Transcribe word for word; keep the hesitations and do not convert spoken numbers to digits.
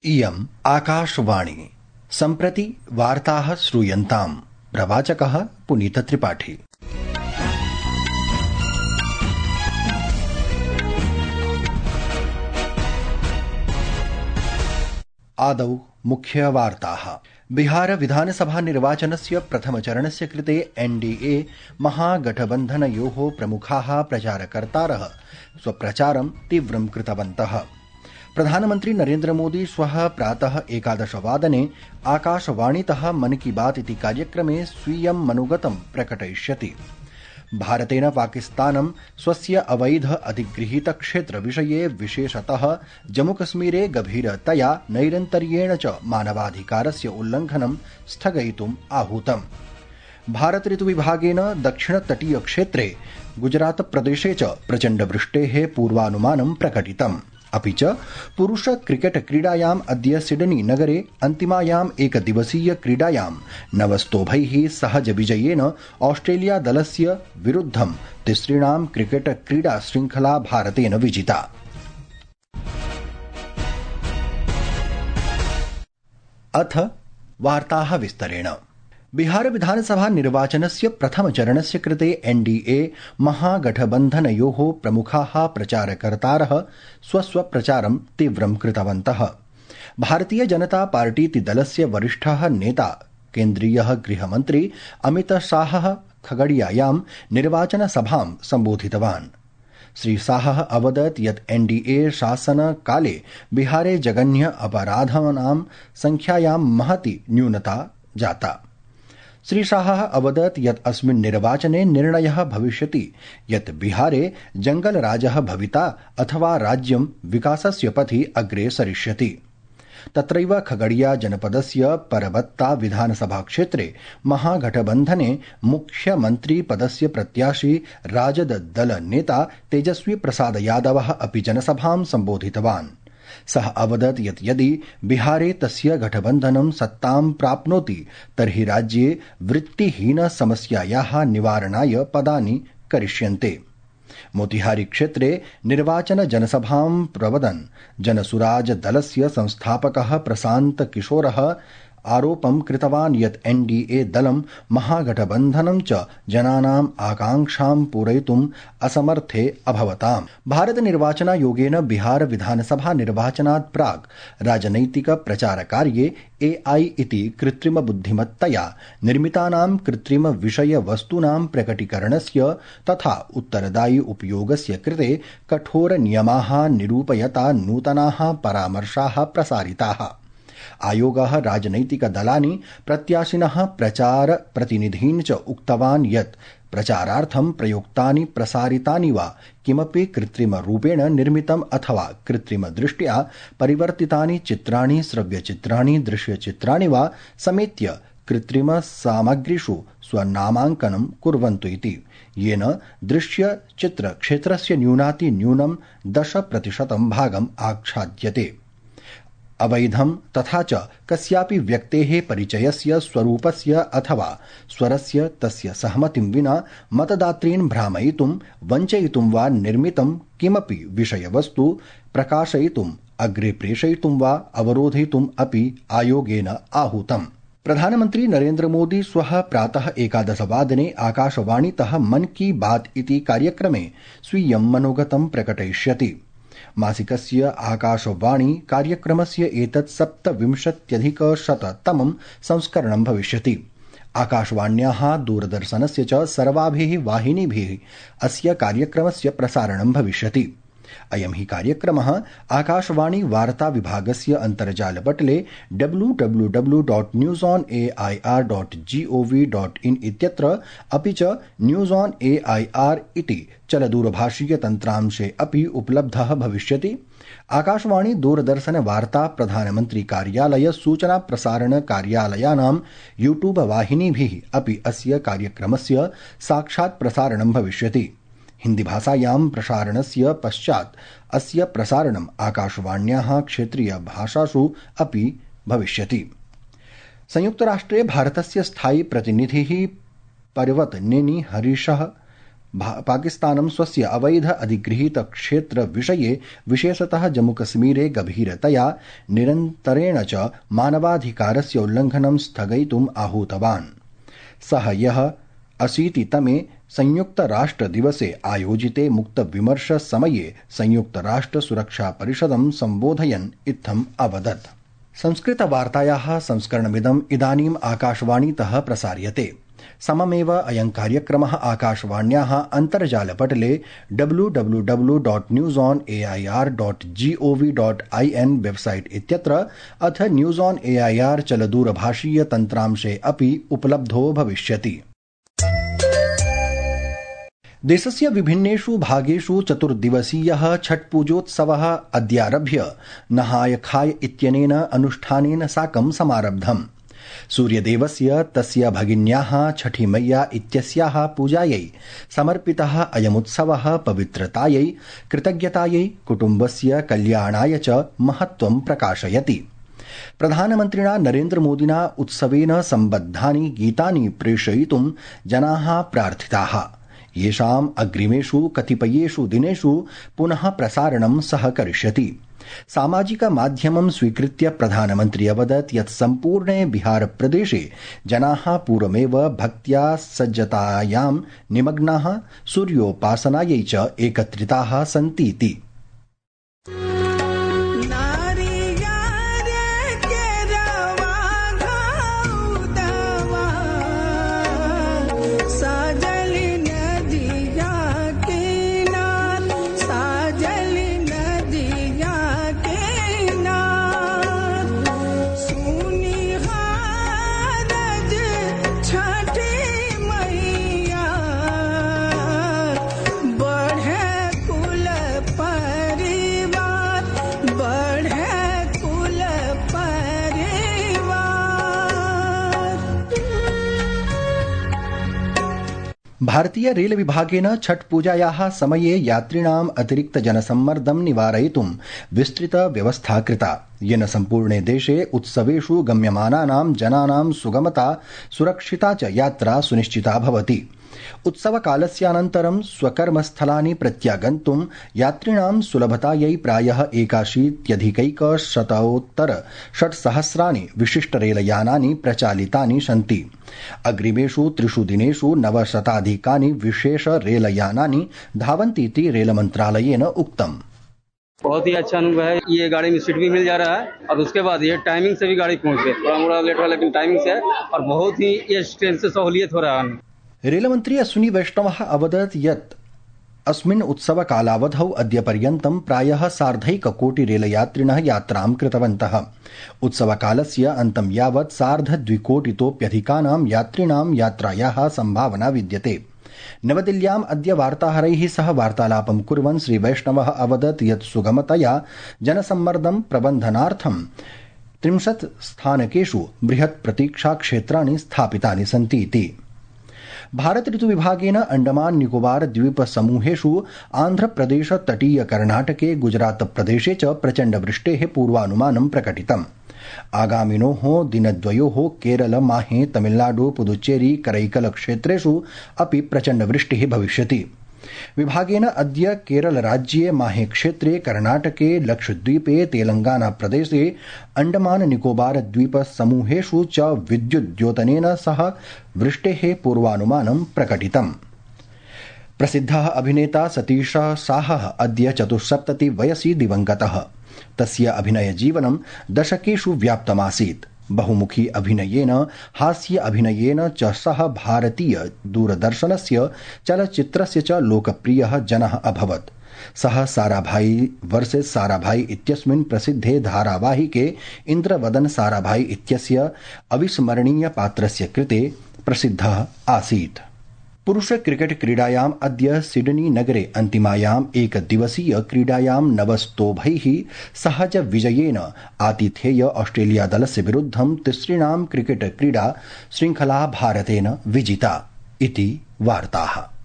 इयम् आकाशवाणी। सम्प्रति वार्ताः श्रूयन्ताम्। प्रवाचकः पुनीतत्रिपाठी। आदौ मुख्यवार्ताः। बिहार विधानसभा निर्वाचनस्य प्रथमचरणस्य कृते एनडीए महागठबन्धनयोः प्रमुखाः प्रचारकर्तारः स्वप्रचारं तीव्रं कृतवन्तः। प्रधानमन्त्री नरेन्द्र मोदी श्वः प्रातः एकादशवादने आकाशवाणीतः मन की बात इति कार्यक्रमे स्वीयं मनोगतं प्रकटयिष्यति। भारतेन पाकिस्तानं स्वस्य अवैध अधिगृहीत क्षेत्रविषये विशेषतः जम्मूकश्मीरे गभीरतया नैरन्तर्येण च मानवाधिकारस्य उल्लङ्घनं स्थगयितुम् आहूतम्। भारत ऋतुविभागेन दक्षिणतटीयक्षेत्रे गुजरातप्रदेशे च प्रचण्डवृष्टेः पूर्वानुमानं प्रकटितम्। अपि च पुरुष क्रिकेट क्रीडायाम् अद्य सिडनी नगरे अन्तिमायाम् एकदिवसीय क्रीडायां नवस्तोभैः सहज विजयेन ऑस्ट्रेलिया दलस्य विरुद्धं तिसृणां क्रिकेट क्रीडा श्रृंखला भारतेन विजिता। अथ वार्ताः विस्तरेण। बिहार विधानसभा निर्वाचनस्य प्रथमचरणस्य कृते एनडीए महागठबन्धनयोः प्रमुखाः प्रचारकर्तारः स्वस्वप्रचारं तीव्रं कृतवन्तः। भारतीय जनता पार्टीति दलस्य वरिष्ठः नेता केन्द्रीयः गृहमन्त्री अमितशाहः खगड़ियायां निर्वाचनसभां सम्बोधितवान्। श्रीशाहः अवदत् यत् एनडीए शासनकाले बिहारे जघन्य अपराधानां संख्यायां महती न्यूनता जाता। श्रीशाहः अवदत् यत् अस्मिन् निर्वाचने निर्णयः भविष्यति यत् बिहारे जंगलराजः भविता अथवा राज्यं विकासस्य पथि अग्रे सरिष्यति। तत्रैव खगड़िया जनपदस्य परबत्ता विधानसभा क्षेत्रे महागठबन्धने मुख्यमन्त्री पदस्य प्रत्याशी राजद दल नेता तेजस्वी प्रसाद यादवः अपि जनसभां सम्बोधितवान्। सः अवदत् यत् यदि बिहारे तस्य गठबन्धनं सत्तां प्राप्नोति तर्हि राज्ये वृत्तिहीन समस्यायाः निवारणाय पदानि करिष्यन्ते। मोतिहारी क्षेत्रे निर्वाचन जनसभां प्रवदन् जनसुराज दलस्य संस्थापकः प्रशान्त किशोरः आरोपं कृतवान् यत् एनडीए दलं महागठबन्धनं च जनानाम् आकांक्षां पूरयितुम् असमर्थे अभवताम्। भारत निर्वाचनायोगेन बिहार विधानसभा निर्वाचनात् प्राक् राजनैतिक प्रचारकार्ये एआई इति कृत्रिम बुद्धिमत्तया निर्मितानां कृत्रिम विषय वस्तूनां प्रकटीकरणस्य तथा उत्तरदायि उपयोगस्य कृते कठोर नियमाः निरूपयता नूतनाः परामर्शाः प्रसारिताः। आयोगः राजनैतिक दलानि प्रत्याशिनः प्रचार प्रतिनिधीन् च उक्तवान् यत् प्रचारार्थं प्रयुक्तानि प्रसारितानि वा किमपि कृत्रिम रूपेण निर्मितम् अथवा कृत्रिम दृष्ट्या परिवर्तितानि चित्राणि श्रव्यचित्राणि दृश्यचित्राणि वा समेत्य कृत्रिम सामग्रीषु स्वनामाङ्कनं कुर्वन्तु इति, येन दृश्यचित्र क्षेत्रस्य न्यूनातिन्यूनं दश प्रतिशतं भागम् आच्छाद्यते। अवैधं तथा च कस्यापि व्यक्तेः परिचयस्य स्वरूपस्य अथवा स्वरस्य तस्य सहमतिं विना मतदातॄन् भ्रामयितुं वञ्चयितुं वा निर्मितं किमपि विषयवस्तु प्रकाशयितुम् अग्रे प्रेषयितुं वा अवरोधयितुम् अपि आयोगेन आहूतम्। प्रधानमन्त्री नरेन्द्र मोदी श्वः प्रातः एकादशवादने आकाशवाणीतः मन की बात इति कार्यक्रमे स्वीयं मनोगतं प्रकटयिष्यति। मासिकस्य आकाशवाणी कार्यक्रमस्य एतत् सप्तविंशत्यधिकशततमं संस्करणं भविष्यति। आकाशवाण्याः दूरदर्शनस्य च सर्वाभिः वाहिनीभिः अस्य कार्यक्रमस्य प्रसारणं भविष्यति। अयं हि कार्यक्रमः आकाशवाणी वार्ता विभागस्य अन्तर्जालपटले W W W dot news on A I R dot G O V dot in इत्यत्र अपि च news on A I R इति चलदूरभाषीय तन्त्रांशे अपि उपलब्धः भविष्यति। आकाशवाणी दूरदर्शन वार्ता प्रधानमन्त्री कार्यालय सूचना प्रसारण कार्यालयानां यूट्यूब वाहिनीभिः अपि अस्य कार्यक्रमस्य साक्षात् प्रसारणं भविष्यति। हिंदी भाषायां प्रसारणस्य पश्चात् अस्य प्रसारणम् आकाशवाण्याः क्षेत्रीय भाषासु अपि भविष्यति। संयुक्तराष्ट्रे भारतस्य स्थायी प्रतिनिधिः पर्वत नेनी हरीशः पाकिस्तानं स्वस्य अवैध अधिगृहीत क्षेत्र विषये विशेषतः जम्मूकश्मीरे गभीरतया निरन्तरेण च मानवाधिकारस्य उल्लङ्घनं स्थगयितुम् आहूतवान्। सः ह्यः अशीतितमे संयुक्तराष्ट्रदिवसे आयोजिते मुक्तविमर्शसमये संयुक्तराष्ट्रसुरक्षापरिषदं सम्बोधयन् इत्थम् अवदत्। संस्कृतवार्तायाः संस्करणमिदम् इदानीम् आकाशवाणीतः प्रसार्यते। सममेव अयं कार्यक्रमः आकाशवाण्याः अन्तर्जालपटले W W W dot news on A I R dot G O V dot I N website इत्यत्र अथ news on A I R चलदूरभाषीय तन्त्रांशे अपि उपलब्धो भविष्यति। देशस्य विभिन्नेषु भागेषु चतुर्दिवसीयः छठपूजोत्सवः अद्यारभ्य नहाय खाय इत्यनेन अनुष्ठानेन साकं समारब्धम्। सूर्यदेवस्य तस्य भगिन्याः छठी मैया इत्यस्याः पूजायै समर्पितः अयमुत्सवः पवित्रतायै, कृतज्ञतायै, कुटुम्बस्य कल्याणाय च महत्त्वं प्रकाशयति। प्रधानमन्त्रिणा नरेन्द्रमोदिना उत्सवेन सम्बद्धानि गीतानि प्रेषयितुं जनाः प्रार्थिताः, येषाम् अग्रिमेषु कतिपयेषु दिनेषु पुनः प्रसारणं सः करिष्यति। सामाजिकमाध्यमं स्वीकृत्य प्रधानमन्त्री अवदत् यत् सम्पूर्णे बिहारप्रदेशे जनाः पूर्वमेव भक्त्या सज्जतायां निमग्नाः सूर्योपासनायै च एकत्रिताः सन्तीति। भारतीय रेल विभागेन छठ पूजायाः समये यात्रिणाम् अतिरिक्त जनसम्मर्दं निवारयितुं विस्तृत व्यवस्था कृता, येन सम्पूर्णे देशे उत्सवेषु गम्यमानानां जनानां सुगमता, सुरक्षिता च यात्रा सुनिश्चिता भवति। उत्सवकालस्यानन्तरं स्वकर्मस्थलानि प्रत्यागन्तुं यात्रिणां सुलभतायै प्रायः एकाशीत्यधिकैकशतोत्तर षट्सहस्राणि विशिष्टरेलयानानि प्रचालितानि सन्ति। अग्रिमेषु त्रिषु दिनेषु नवशताधिकानि विशेष रेलयानानि धावन्तीति रेलमन्त्रालयेन उक्तम्। बहुत ही अच्छा अनुभव है। ये गाड़ी में सीट भी मिल जा रहा है और उसके बाद ये टाइमिंग से भी गाड़ी पहुंच गई। थोड़ा मोड़ा लेट हुआ लेकिन टाइमिंग से है और बहुत ही ये ट्रेन से सहूलियत हो रहा है। रेलमन्त्री अश्विनी वैष्णवः अवदत् यत् अस्मिन् उत्सवकालावधौ अद्यपर्यन्तं प्रायः सार्धैककोटि रेलयात्रिणः यात्रां कृतवन्तः। उत्सवकालस्य अन्तं यावत् सार्धद्विकोटितोप्यधिकानां यात्रिणां यात्रायाः सम्भावना विद्यते। नवदिल्ल्याम् अद्य वार्ताहरैः सह वार्तालापं कुर्वन् श्रीवैष्णवः अवदत् यत् सुगमतया जनसम्मर्दं प्रबन्धनार्थं त्रिंशत् स्थानकेषु बृहत् प्रतीक्षाक्षेत्राणि स्थापितानि सन्तीति। भारत ऋतु विभागेन अंडमान निकोबार द्वीप समूहेषु आन्ध्रप्रदेश तटीय कर्णाटके गुजरात प्रदेशे च प्रचण्ड वृष्टेः पूर्वानुमानं प्रकटितम्। आगामिनोः दिनद्वयोः केरल, माहे, तमिलनाडु, पुदुच्चेरी, करैकल क्षेत्रेषु अपि प्रचण्ड वृष्टिः भविष्यति। विभागेन अद्य केरल राज्ये माहे क्षेत्रे, कर्णाटके, लक्षद्वीपे, तेलंगाना प्रदेशे, अंडमान निकोबार द्वीप समूहेषु च विद्युद्योतनेन सह वृष्टेः पूर्वानुमानं प्रकटितम्। प्रसिद्धः अभिनेता सतीश शाहः अद्य चतुस्सप्तति वयसि दिवंगतः। तस्य अभिनयजीवनं दशकेषु व्याप्तमासीत्। बहुमुखी अभिनयेन, हास्य अभिनयेन च सः भारतीय दूरदर्शनस्य चलच्चित्रस्य च लोकप्रियः जनः अभवत्। सः साराभाई वर्सेस साराभाई इत्यस्मिन् प्रसिद्धे धारावाहिके इन्द्रवदन साराभाई इत्यस्य अविस्मरणीय पात्रस्य कृते प्रसिद्धः आसीत्। पुरुष क्रिकेट क्रीडायाम् अद्य सिडनी नगरे अन्तिमायाम् एकदिवसीय क्रीडायां नवस्तोभैः सहज विजयेन आतिथेय ऑस्ट्रेलिया दलस्य विरुद्धं तिसृणां क्रिकेट क्रीडा श्रृंखला भारतेन विजिता इति वार्ताः।